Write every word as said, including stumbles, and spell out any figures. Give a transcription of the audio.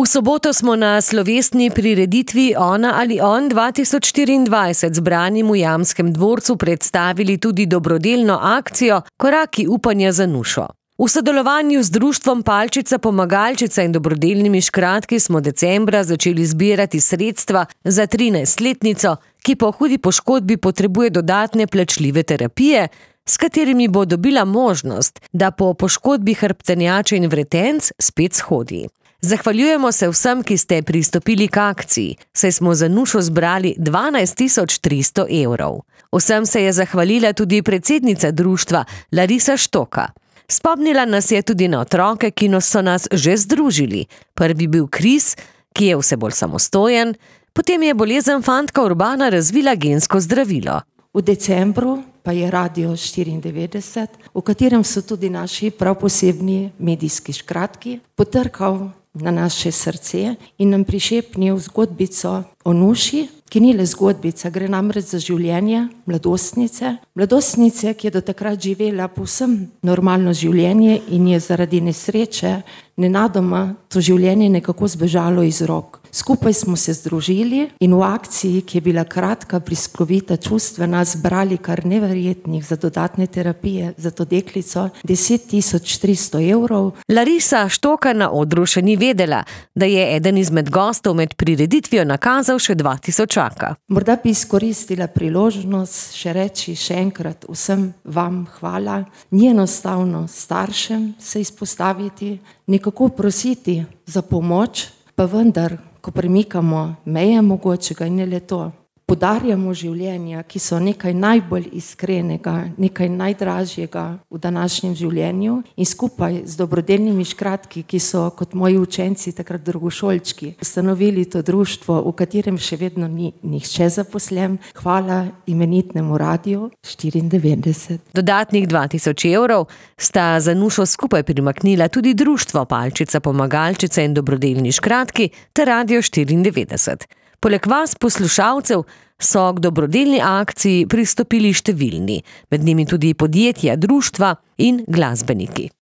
V soboto smo na slovesni prireditvi Ona ali on dva tisoč štiriindvajset zbranim v Jamskem dvorcu predstavili tudi dobrodelno akcijo Koraki upanja za Nušo. V sodelovanju z društvom Palčica Pomagalčica in dobrodelnimi škratki smo decembra začeli zbirati sredstva za trinajstletnico, ki po hudi poškodbi potrebuje dodatne plačljive terapije, s katerimi bo dobila možnost, da po poškodbi hrbtenjače in vretenc spet shodi. Zahvaljujemo se vsem, ki ste pristopili k akciji, saj smo za Nušo zbrali dvanajst tisoč tristo evrov. Vsem se je zahvalila tudi predsednica društva Larisa Štoka. Spomnila nas je tudi na otroke, ki so nas že združili. Prvi bil Kris, ki je vse bolj samostojen, potem je bolezen fantka Urbana razvila gensko zdravilo. V decembru pa je Radio štiriindevetdeset, v katerem so tudi naši prav posebni medijski škratki, potrkal na naše srce in nam prišepnil zgodbico o Nuši, ki ni le zgodbica, gre namreč za življenje mladostnice. Mladostnice, ki je do takrat živela povsem normalno življenje in je zaradi nesreče nenadoma to življenje nekako zbežalo iz rok. Skupaj smo se združili in v akciji, ki je bila kratka, bliskovita, čustvena, zbrali kar neverjetnih za dodatne terapije za to deklico deset tisoč tristo evrov. Larisa Štoka na odru še ni vedela, da je eden izmed gostov med prireditvijo nakazal še dva tisočaka. Morda bi izkoristila priložnost še reči še enkrat vsem vam hvala. Ni enostavno staršem se izpostaviti, nekako prositi za pomoč, pa vendar, ko premikamo meje mogočega in ne le to, podarjamo življenja, ki so nekaj najbolj iskrenega, nekaj najdražjega v današnjem življenju in skupaj z dobrodelnimi škratki, ki so kot moji učenci, takrat drugošolčki, ustanovili to društvo, v katerem še vedno ni nihče zaposlen. Hvala imenitnemu Radio štiriindevetdeset. Dodatnih dva tisoč evrov sta za Nušo skupaj primaknila tudi društvo Palčica Pomagalčica in dobrodelni škratki ter Radio štiriindevetdeset. Poleg vas, poslušalcev, so k dobrodelni akciji pristopili številni, med njimi tudi podjetja, društva in glasbeniki.